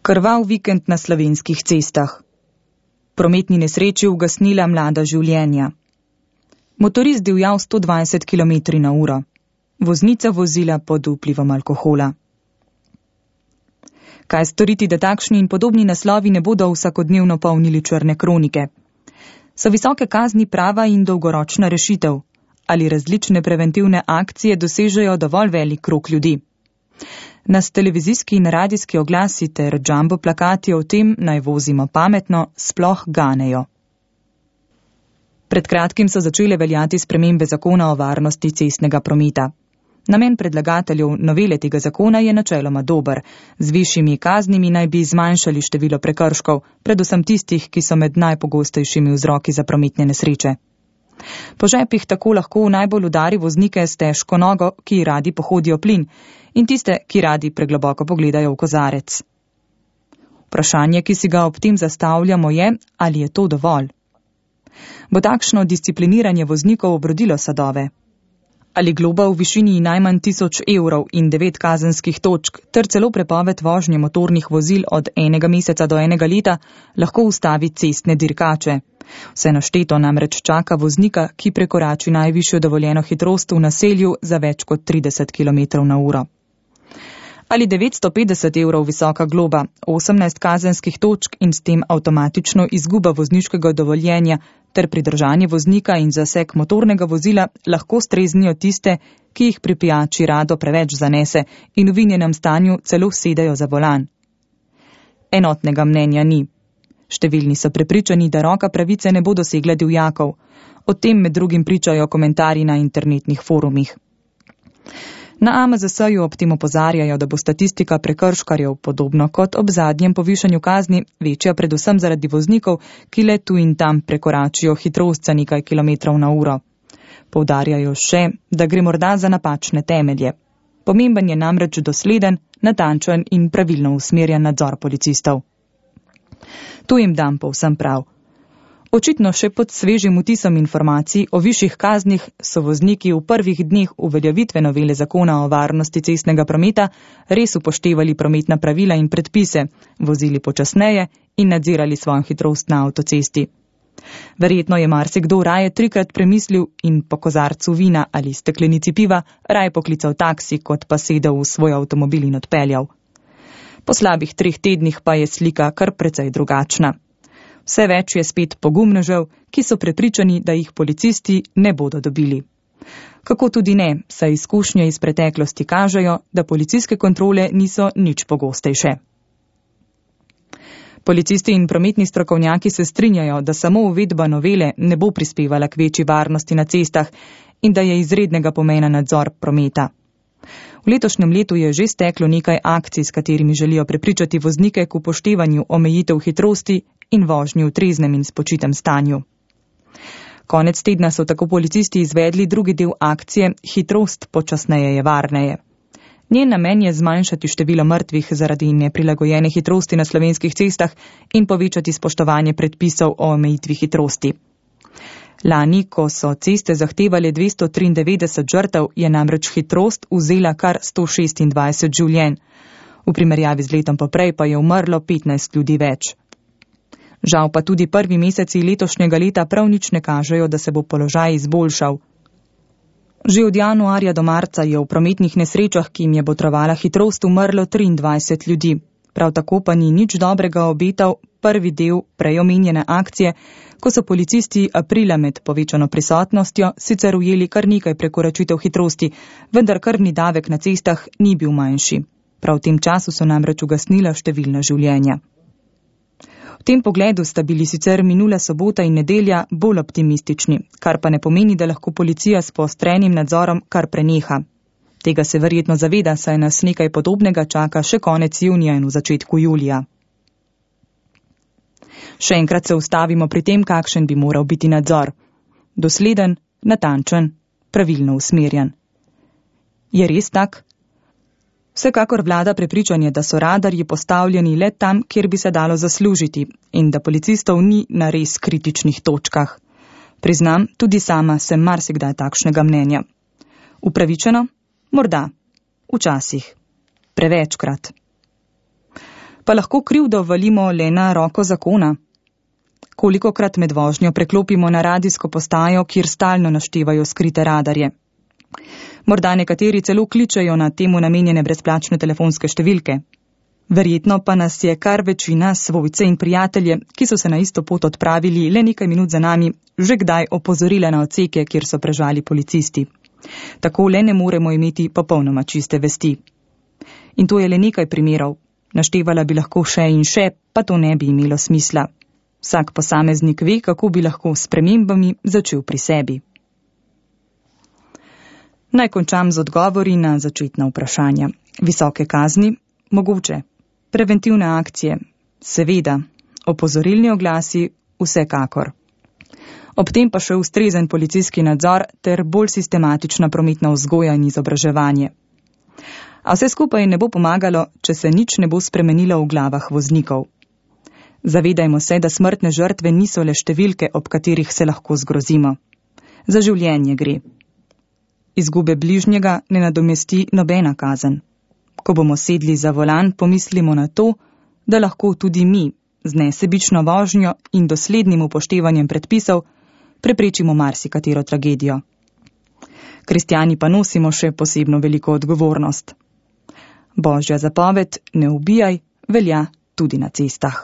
Krvav vikend na slovenskih cestah. Prometni nesreči ugasnila mlada življenja. Motorist divjal 120 km/h. Voznica vozila pod vplivom alkohola. Kaj storiti, da takšni in podobni naslovi ne bodo vsakodnevno polnili črne kronike? So visoke kazni prava in dolgoročna rešitev? Ali različne preventivne akcije dosežejo dovolj velik krog ljudi? Nas televizijski in radijski oglasi ter jumbo plakati o tem, naj vozimo pametno, sploh ganejo. Pred kratkim so začele veljati spremembe zakona o varnosti cestnega prometa. Namen predlagateljev novele tega zakona je načeloma dober. Z višjimi kaznimi naj bi zmanjšali število prekrškov, predvsem tistih, ki so med najpogostejšimi vzroki za prometne nesreče. Po žepih tako lahko najbolj udari voznike s težko nogo, ki radi pohodijo plin, in tiste, ki radi pregloboko pogledajo v kozarec. Vprašanje, ki si ga ob tem zastavljamo, je, ali je to dovolj. Bo takšno discipliniranje voznikov obrodilo sadove? Ali globa v višini najmanj 1000 evrov in 9 kazenskih točk ter celo prepoved vožnje motornih vozil od 1 meseca do 1 leta lahko ustavi cestne dirkače? Vse našteto namreč čaka voznika, ki prekorači najvišjo dovoljeno hitrost v naselju za več kot 30 km/h. Ali 950 evrov visoka globa, 18 kazenskih točk in s tem avtomatično izguba vozniškega dovoljenja ter pridržanje voznika in zaseg motornega vozila lahko streznijo tiste, ki jih pri pijači rado preveč zanese in v vinjenem stanju celo sedajo za volan. Enotnega mnenja ni. Številni so prepričani, da roka pravice ne bo dosegla divjakov. O tem med drugim pričajo komentarji na internetnih forumih. Na AMZS-ju ob tem opozarjajo, da bo statistika prekrškarjev, podobno kot ob zadnjem povišanju kazni, večja predvsem zaradi voznikov, ki le tu in tam prekoračijo hitrost za nekaj km/h. Poudarjajo še, da gre morda za napačne temelje. Pomemben je namreč dosleden, natančen in pravilno usmerjen nadzor policistov. Tu jim dam povsem prav. Očitno še pod svežim vtisom informacij o višjih kaznih so vozniki v prvih dneh uveljavitve novele zakona o varnosti cestnega prometa res upoštevali prometna pravila in predpise, vozili počasneje in nadzirali svojo hitrost na avtocesti. Verjetno je marsikdo raje 3-krat premislil in po kozarcu vina ali steklenici piva raje poklical taksi, kot pa sedel v svoj avtomobil in odpeljal. Po slabih 3 tednih pa je slika kar precej drugačna. Vse več je spet pogumnežev, ki so prepričani, da jih policisti ne bodo dobili. Kako tudi ne, saj izkušnje iz preteklosti kažejo, da policijske kontrole niso nič pogostejše. Policisti in prometni strokovnjaki se strinjajo, da samo uvedba novele ne bo prispevala k večji varnosti na cestah in da je izrednega pomena nadzor prometa. V letošnjem letu je že steklo nekaj akcij, s katerimi želijo prepričati voznike k upoštevanju omejitev hitrosti in vožnji v treznem in spočitem stanju. Konec tedna so tako policisti izvedli drugi del akcije Hitrost počasneje je varneje. Njen namen je zmanjšati število mrtvih zaradi neprilagojene hitrosti na slovenskih cestah in povečati spoštovanje predpisov o omejitvi hitrosti. Lani, ko so ceste zahtevale 293 žrtev, je namreč hitrost vzela kar 126 življenj. V primerjavi z letom poprej pa je umrlo 15 ljudi več. Žal pa tudi prvi meseci letošnjega leta prav nič ne kažejo, da se bo položaj izboljšal. Že od januarja do marca je v prometnih nesrečah, ki jim je botrovala hitrost, umrlo 23 ljudi. Prav tako pa ni nič dobrega obetal prvi del prej omenjene akcije, ko so policisti aprila med povečano prisotnostjo sicer ujeli kar nekaj prekoračitev hitrosti, vendar krvni davek na cestah ni bil manjši. Prav v tem času so namreč ugasnila številna življenja. V tem pogledu sta bili sicer minula sobota in nedelja bolj optimistični, kar pa ne pomeni, da lahko policija s poostrenim nadzorom kar preneha. Tega se verjetno zaveda, saj nas nekaj podobnega čaka še konec junija in v začetku julija. Še enkrat se ustavimo pri tem, kakšen bi moral biti nadzor. Dosleden, natančen, pravilno usmerjen. Je res tak? Vsekakor vlada prepričanje, da so radarji postavljeni le tam, kjer bi se dalo zaslužiti in da policistov ni na res kritičnih točkah. Priznam, tudi sama sem marsikdaj takšnega mnenja. Upravičeno? Morda. Včasih. Prevečkrat. Pa lahko krivdo valimo le na roko zakona? Kolikokrat med vožnjo preklopimo na radijsko postajo, kjer stalno naštevajo skrite radarje? Morda nekateri celo kličejo na temu namenjene brezplačne telefonske številke. Verjetno pa nas je kar večina, svojce in prijatelje, ki so se na isto pot odpravili le nekaj minut za nami, že kdaj opozorile na odseke, kjer so prežali policisti. Tako le ne moremo imeti popolnoma čiste vesti. In to je le nekaj primerov. Naštevala bi lahko še in še, pa to ne bi imelo smisla. Vsak posameznik ve, kako bi lahko s spremembami začel pri sebi. Naj končam z odgovori na začetna vprašanja. Visoke kazni? Mogoče. Preventivne akcije? Seveda. Opozorilni oglasi? Vsekakor. Ob tem pa še ustrezen policijski nadzor ter bolj sistematična prometna vzgoja in izobraževanje. A vse skupaj ne bo pomagalo, če se nič ne bo spremenilo v glavah voznikov. Zavedajmo se, da smrtne žrtve niso le številke, ob katerih se lahko zgrozimo. Za življenje gre. Izgube bližnjega ne nadomesti nobena kazen. Ko bomo sedli za volan, pomislimo na to, da lahko tudi mi z nesebično vožnjo in doslednim upoštevanjem predpisov preprečimo marsikatero tragedijo. Kristjani pa nosimo še posebno veliko odgovornost. Božja zapoved, ne ubijaj, velja tudi na cestah.